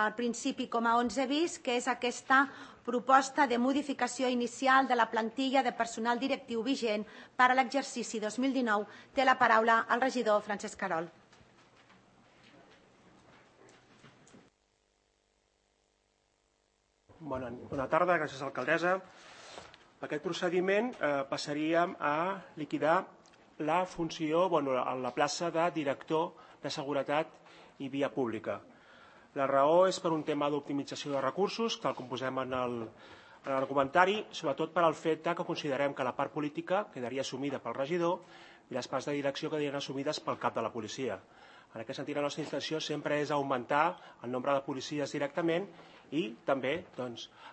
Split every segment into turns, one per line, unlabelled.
al principi com a 11 bis, que és aquesta proposta de modificació inicial de la plantilla de personal directiu vigent per a l'exercici 2019. Té la paraula el regidor Francesc Querol.
Bona tarda, gràcies alcaldessa. Aquest procediment passaríem a liquidar la funció, la plaça de director de seguretat i via pública. La raó és per un tema d'optimització de recursos, tal com posem en l'argumentari, sobretot per al fet que considerem que la part política quedaria assumida pel regidor i les parts de direcció quedarien assumides pel cap de la policia. En aquest sentit, la nostra intenció sempre és augmentar el nombre de policies directament i també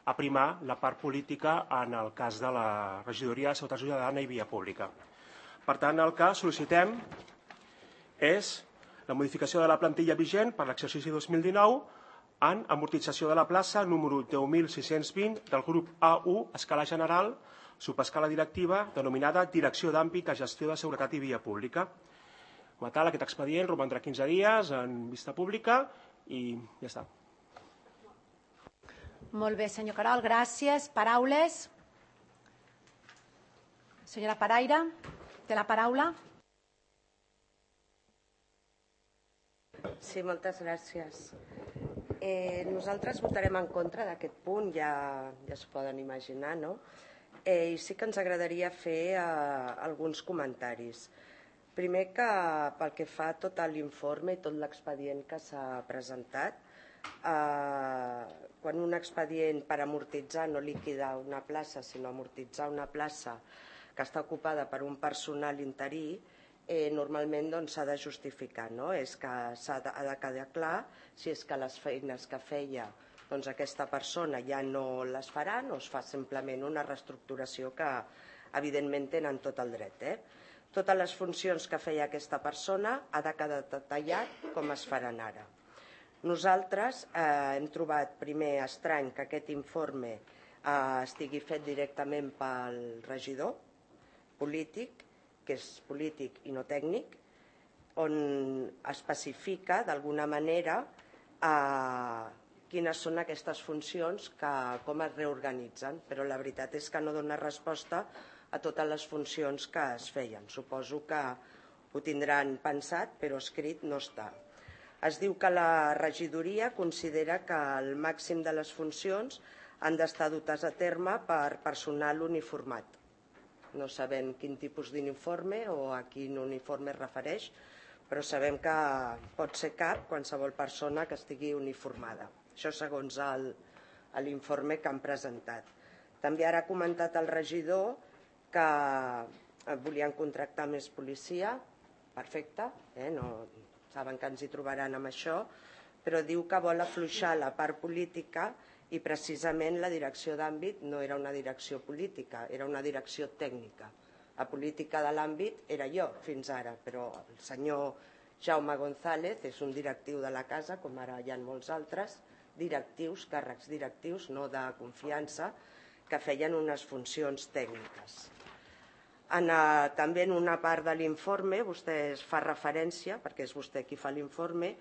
aprimar la part política en el cas de la regidoria de Seguretat Ciutadana i Via Pública. Per tant, el que sol·licitem és la modificació de la plantilla vigent per l'exercici 2019 en amortització de la plaça número 10.620 del grup A1, escala general, subescala directiva, denominada Direcció d'Àmbit de Gestió de Seguretat i Via Pública. Com a tal, aquest expedient romandrà 15 dies en vista pública i ja està.
Molt bé, senyor Querol, gràcies. Paraules? Senyora Paraire, té la paraula.
Sí, moltes gràcies. Nosaltres votarem en contra d'aquest punt, ja es poden imaginar, no? I sí que ens agradaria fer alguns comentaris. Primer que pel que fa a tot l'informe i tot l'expedient que s'ha presentat, quan un expedient per amortitzar, no liquidar una plaça, sinó amortitzar una plaça que està ocupada per un personal interí, normalment s'ha de justificar, és que ha de quedar clar si és que les feines que feia aquesta persona ja no les faran o es fa simplement una reestructuració que evidentment tenen tot el dret. Totes les funcions que feia aquesta persona ha de quedar detallat com es faran ara. Nosaltres hem trobat primer estrany que aquest informe estigui fet directament pel regidor polític, que és polític i no tècnic, on especifica d'alguna manera quines són aquestes funcions, com es reorganitzen, però la veritat és que no dona resposta a totes les funcions que es feien. Suposo que ho tindran pensat, però escrit no està. Es diu que la regidoria considera que el màxim de les funcions han d'estar dutes a terme per personal uniformat. No sabem quin tipus d'uniforme o a quin uniforme es refereix, però sabem que pot ser cap qualsevol persona que estigui uniformada. Això segons l'informe que han presentat. També ara ha comentat el regidor que volien contractar més policia, perfecte, saben que ens hi trobaran amb això, però diu que vol afluixar la part política i precisament la direcció d'àmbit no era una direcció política, era una direcció tècnica. La política de l'àmbit era jo fins ara, però el senyor Jaume González és un directiu de la casa, com ara hi ha molts altres, directius, càrrecs directius, no de confiança, que feien unes funcions tècniques. També en una part de l'informe vostè fa referència, perquè és vostè qui fa l'informe,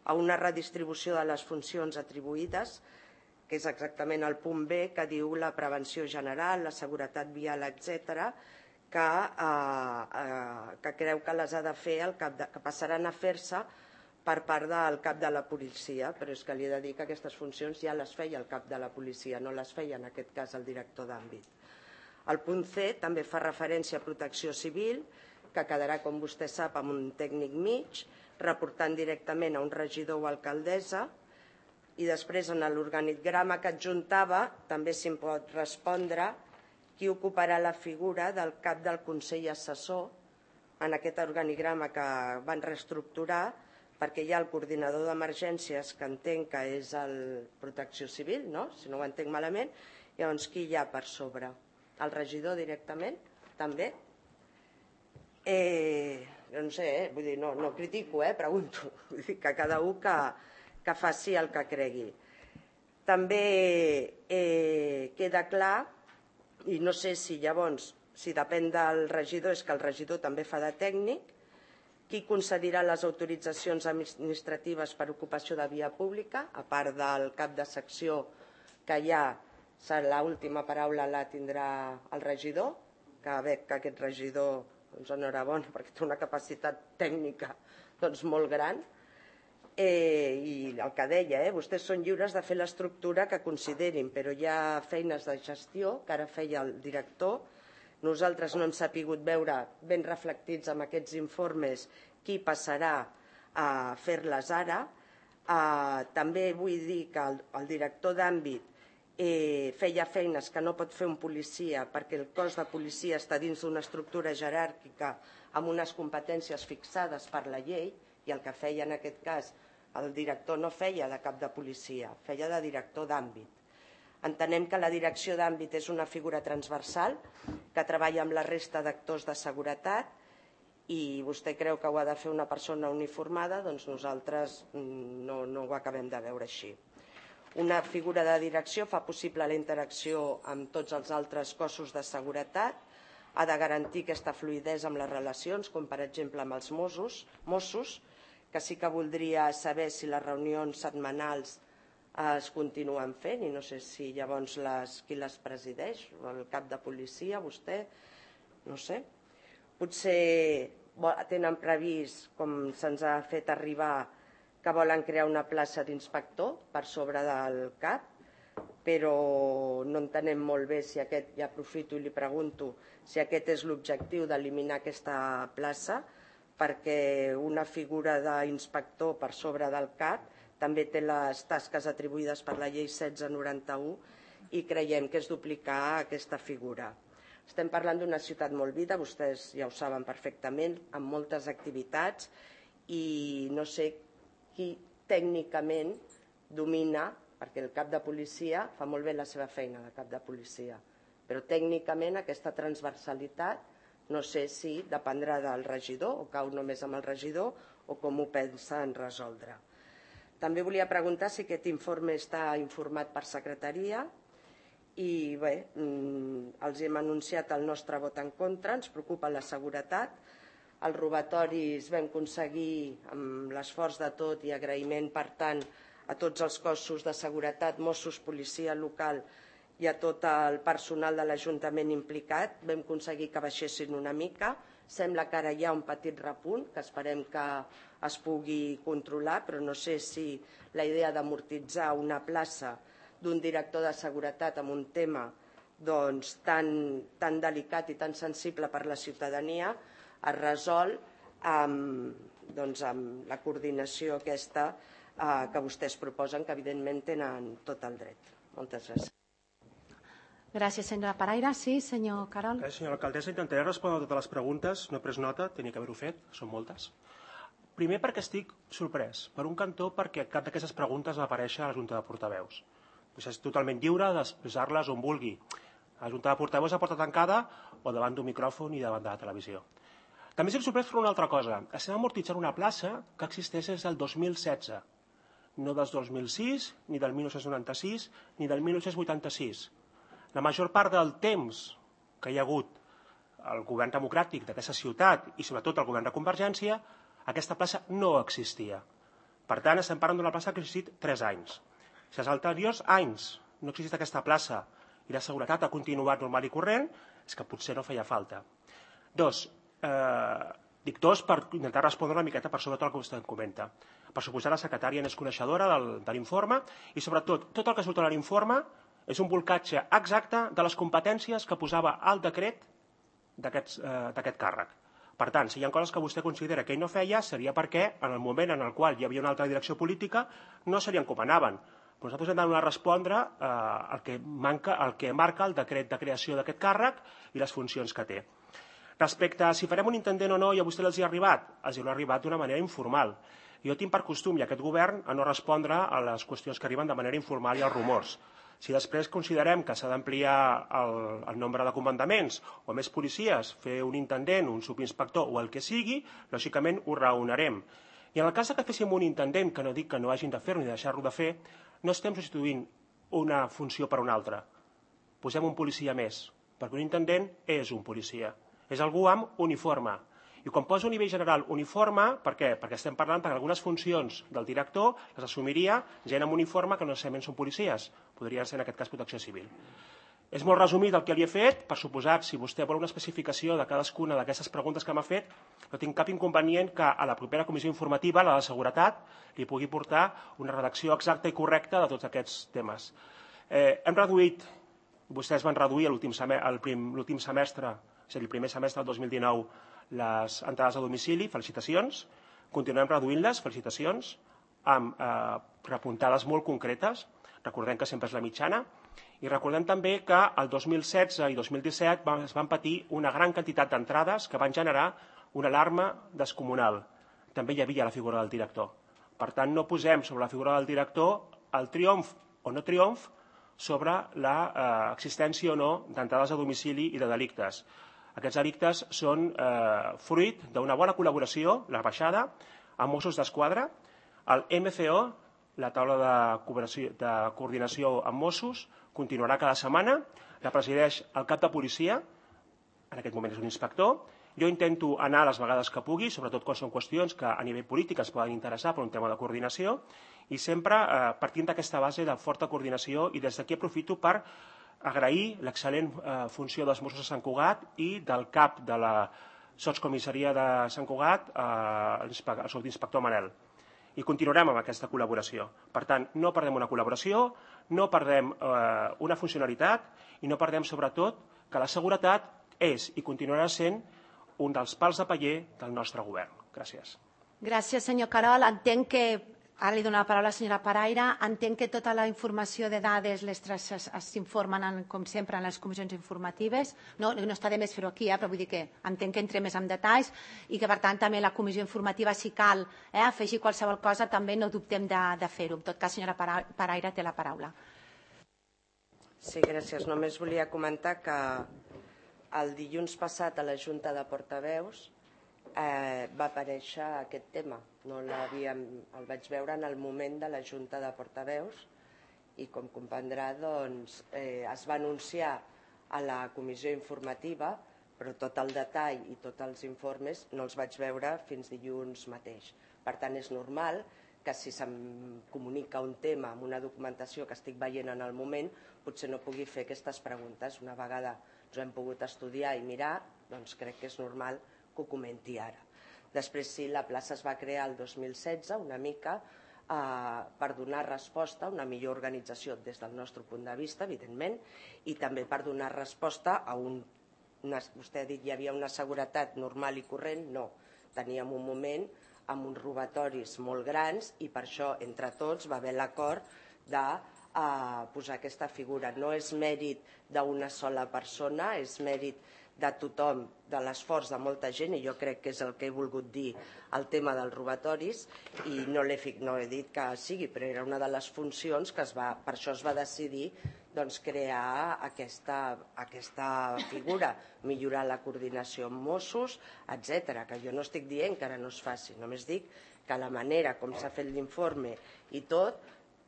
a una redistribució de les funcions atribuïdes, que és exactament el punt B, que diu la prevenció general, la seguretat vial, etc., que creu que les ha de fer, que passaran a fer-se per part del cap de la policia, però és que li he de dir que aquestes funcions ja les feia el cap de la policia, no les feia en aquest cas el director d'àmbit. El punt C també fa referència a protecció civil, que quedarà, com vostè sap, amb un tècnic mig, reportant directament a un regidor o alcaldessa, i després en l'organigrama que adjuntava també s'hi pot respondre qui ocuparà la figura del cap del Consell Assessor en aquest organigrama que van reestructurar, perquè hi ha el coordinador d'emergències, que entenc que és el Protecció Civil, si no ho entenc malament, llavors qui hi ha per sobre? El regidor directament, també? No sé, vull dir, no critico, pregunto. Vull dir que cada un que faci el que cregui. També queda clar, i no sé si llavors, si depèn del regidor, és que el regidor també fa de tècnic, qui concedirà les autoritzacions administratives per ocupació de via pública, a part del cap de secció que ja l'última paraula la tindrà el regidor, que veig que aquest regidor, doncs enhorabona, perquè té una capacitat tècnica molt gran. I el que deia, vostès són lliures de fer l'estructura que considerin, però hi ha feines de gestió que ara feia el director. Nosaltres no hem sapigut veure ben reflectits en aquests informes qui passarà a fer-les ara. També vull dir que el director d'àmbit feia feines que no pot fer un policia perquè el cos de policia està dins d'una estructura jeràrquica amb unes competències fixades per la llei, i el que feia en aquest cas el director no feia de cap de policia, feia de director d'àmbit. Entenem que la direcció d'àmbit és una figura transversal que treballa amb la resta d'actors de seguretat i vostè creu que ho ha de fer una persona uniformada, doncs nosaltres no ho acabem de veure així. Una figura de direcció fa possible la interacció amb tots els altres cossos de seguretat, ha de garantir aquesta fluïdesa amb les relacions, com per exemple amb els Mossos, que sí que voldria saber si les reunions setmanals es continuen fent i no sé si llavors qui les presideix, el cap de policia, vostè, no sé. Potser tenen previst, com se'ns ha fet arribar, que volen crear una plaça d'inspector per sobre del CAP, però no entenem molt bé si aquest, ja aprofito i li pregunto, si aquest és l'objectiu d'eliminar aquesta plaça, perquè una figura d'inspector per sobre del CAP també té les tasques atribuïdes per la llei 1691 i creiem que és duplicar aquesta figura. Estem parlant d'una ciutat molt viva, vostès ja ho saben perfectament, amb moltes activitats i no sé qui tècnicament domina, perquè el cap de policia fa molt bé la seva feina de cap de policia, però tècnicament aquesta transversalitat no sé si dependrà del regidor o cau només amb el regidor o com ho pensen resoldre. També volia preguntar si aquest informe està informat per secretaria i bé, els hem anunciat el nostre vot en contra, ens preocupa la seguretat. Els robatoris vam aconseguir amb l'esforç de tot i agraïment, per tant, a tots els cossos de seguretat, Mossos, policia local i a tot el personal de l'Ajuntament implicat, vam aconseguir que baixessin una mica. Sembla que ara hi ha un petit repunt, que esperem que es pugui controlar, però no sé si la idea d'amortitzar una plaça d'un director de seguretat amb un tema tan delicat i tan sensible per la ciutadania es resol amb la coordinació aquesta que vostès proposen, que evidentment tenen tot el dret. Moltes gràcies.
Gràcies, senyora Paraire. Sí, senyor Carol.
Senyora alcaldessa, intentaré respondre a totes les preguntes. No he pres nota, tenia que haver-ho fet, són moltes. Primer perquè estic sorprès. Per un cantó, perquè cap d'aquestes preguntes va aparèixer a la Junta de Portaveus. Vostè és totalment lliure d'expressar-les on vulgui. La Junta de Portaveus a porta tancada o davant d'un micròfon i davant de la televisió. També estic sorprès per una altra cosa. Estem amortitzant una plaça que existeix des del 2016, no del 2006, ni del 1996, ni del 1986. La major part del temps que hi ha hagut el govern democràtic d'aquesta ciutat i sobretot el govern de Convergència, aquesta plaça no existia. Per tant, estem parlant d'una plaça que ha existit 3 anys. Si els anteriors anys no ha existit aquesta plaça i la seguretat ha continuat normal i corrent, és que potser no feia falta. Dic dos per intentar respondre una miqueta per sobre tot el que vostè em comenta. Per suposar, la secretària n'és coneixedora de l'informe i sobretot tot el que surt a l'informe és un volcatge exacte de les competències que posava al decret d'aquest càrrec. Per tant, si hi ha coses que vostè considera que ell no feia, seria perquè en el moment en el qual hi havia una altra direcció política no se li encomanaven. Però nosaltres hem de respondre al que marca el decret de creació d'aquest càrrec i les funcions que té. Respecte a si farem un intendent o no i a vostè els hi ha arribat, els hi ha arribat d'una manera informal. Jo tinc per costum, i aquest govern, a no respondre a les qüestions que arriben de manera informal i als rumors. Si després considerem que s'ha d'ampliar el nombre de comandaments o més policies, fer un intendent, un subinspector o el que sigui, lògicament ho raonarem. I en el cas que féssim un intendent, que no dic que no hagin de fer-ho ni deixar-lo de fer, no estem substituint una funció per una altra. Posem un policia més, perquè un intendent és un policia. És algú amb uniforme. I quan poso un nivell general uniforme, per què? Perquè estem parlant que algunes funcions del director les assumiria gent amb uniforme que no necessàriament són policies, podria ser en aquest cas protecció civil. És molt resumit el que li he fet, per suposat, si vostè vol una especificació de cadascuna d'aquestes preguntes que m'ha fet, no tinc cap inconvenient que a la propera comissió informativa, la de seguretat, li pugui portar una redacció exacta i correcta de tots aquests temes. Hem reduït, vostès van reduir l'últim semestre, és a dir, el primer semestre del 2019, les entrades a domicili, felicitacions. Continuem reduint-les, felicitacions, amb repuntades molt concretes. Recordem que sempre és la mitjana. I recordem també que el 2016 i 2017 es van patir una gran quantitat d'entrades que van generar una alarma descomunal. També hi havia la figura del director. Per tant, no posem sobre la figura del director el triomf o no triomf sobre l'existència o no d'entrades a domicili i de delictes. Aquests delictes són fruit d'una bona col·laboració, la baixada, amb Mossos d'Esquadra, el MCO, la taula de coordinació amb Mossos, continuarà cada setmana, la presideix el cap de policia, en aquest moment és un inspector. Jo intento anar les vegades que pugui, sobretot quan són qüestions que a nivell polític es poden interessar per un tema de coordinació, i sempre partint d'aquesta base de forta coordinació, i des d'aquí aprofito per agrair l'excel·lent funció dels Mossos de Sant Cugat i del cap de la sotscomissaria de Sant Cugat, el subinspector Manel. I continuarem amb aquesta col·laboració. Per tant, no perdem una col·laboració, no perdem una funcionalitat i no perdem, sobretot, que la seguretat és i continuarà sent un dels pals de paller del nostre govern. Gràcies.
Gràcies, senyor Carol. Entenc que, ara li dono la paraula a la senyora Paraire, entenc que tota la informació de dades s'informen, com sempre, en les comissions informatives. No està de més fer-ho aquí, però vull dir que entenc que entrem més en detalls i que, per tant, també la comissió informativa, si cal afegir qualsevol cosa, també no dubtem de fer-ho. En tot cas, senyora Paraire, té la paraula.
Sí, gràcies. Només volia comentar que el dilluns passat a la Junta de Portaveus va aparèixer aquest tema. El vaig veure en el moment de la Junta de Portaveus i, com comprendrà, es va anunciar a la comissió informativa, però tot el detall i tots els informes no els vaig veure fins dilluns mateix. Per tant, és normal que si se'm comunica un tema amb una documentació que estic veient en el moment, potser no pugui fer aquestes preguntes. Una vegada ens ho hem pogut estudiar i mirar, doncs crec que és normal que ho comenti ara. Després, sí, la plaça es va crear el 2016, una mica, per donar resposta a una millor organització des del nostre punt de vista, evidentment, i també per donar resposta a vostè ha dit que hi havia una seguretat normal i corrent. No, teníem un moment amb uns robatoris molt grans i per això, entre tots, va haver l'acord de posar aquesta figura. No és mèrit d'una sola persona, és mèrit de tothom, de l'esforç de molta gent, i jo crec que és el que he volgut dir el tema dels robatoris, i no he dit que sigui, però era una de les funcions que per això es va decidir crear aquesta figura, millorar la coordinació amb Mossos, etc. Que jo no estic dient que ara no es faci, només dic que la manera com s'ha fet l'informe i tot,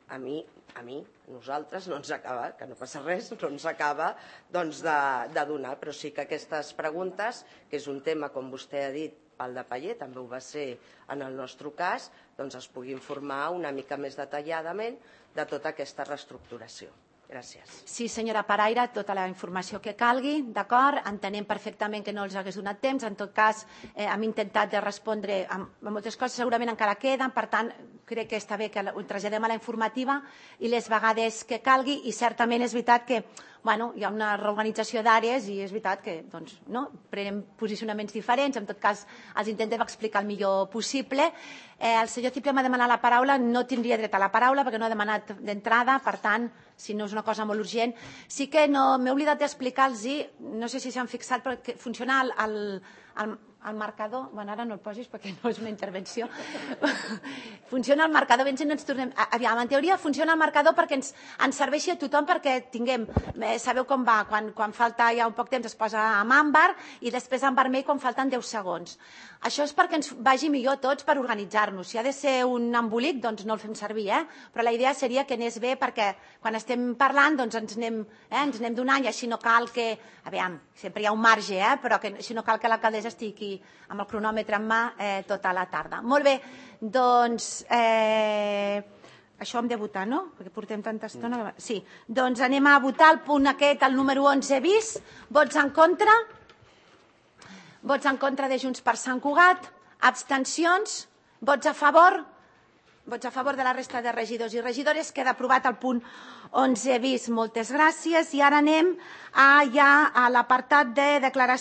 a nosaltres no ens acaba, que no passa res, no ens acaba de donar, però sí que aquestes preguntes, que és un tema, com vostè ha dit, pal de paller, també ho va ser en el nostre cas, doncs es pugui informar una mica més detalladament de tota aquesta reestructuració. Gràcies.
Sí, senyora Paraire, tota la informació que calgui, d'acord? Entenem perfectament que no els hagués donat temps. En tot cas, hem intentat de respondre a moltes coses, segurament encara queden, per tant, crec que està bé que ho traslladem a la informativa i les vegades que calgui, i certament és veritat que hi ha una reorganització d'àrees i és veritat que prenem posicionaments diferents, en tot cas els intentem explicar el millor possible. El senyor Ciprià m'ha demanat la paraula, no tindria dret a la paraula perquè no ha demanat d'entrada, per tant, si no és una cosa molt urgent. Sí que m'he oblidat d'explicar-los, no sé si s'han fixat, però que funciona el marcador, ara no el posis perquè no és una intervenció, funciona el marcador, ben si no ens tornem... Aviam, en teoria funciona el marcador perquè ens serveixi a tothom, perquè tinguem, sabeu com va, quan falta ja un poc temps es posa amb àmbar i després en vermell quan falten 10 segons. Això és perquè ens vagi millor a tots per organitzar-nos. Si ha de ser un embolic, doncs no el fem servir, però la idea seria que anés bé perquè quan estem parlant doncs ens anem donant i així no cal que... Aviam, sempre hi ha un marge, però que així no cal que l'alcaldessa estic aquí amb el cronòmetre en mà tota la tarda. Molt bé, doncs això hem de votar, no? Perquè portem tanta estona. Sí, doncs anem a votar el punt aquest, el número 11 bis. Vots en contra? Vots en contra de Junts per Sant Cugat? Abstencions? Vots a favor? Vots a favor de la resta de regidors i regidores. Queda aprovat el punt 11 bis. Moltes gràcies. I ara anem ja a l'apartat de declaració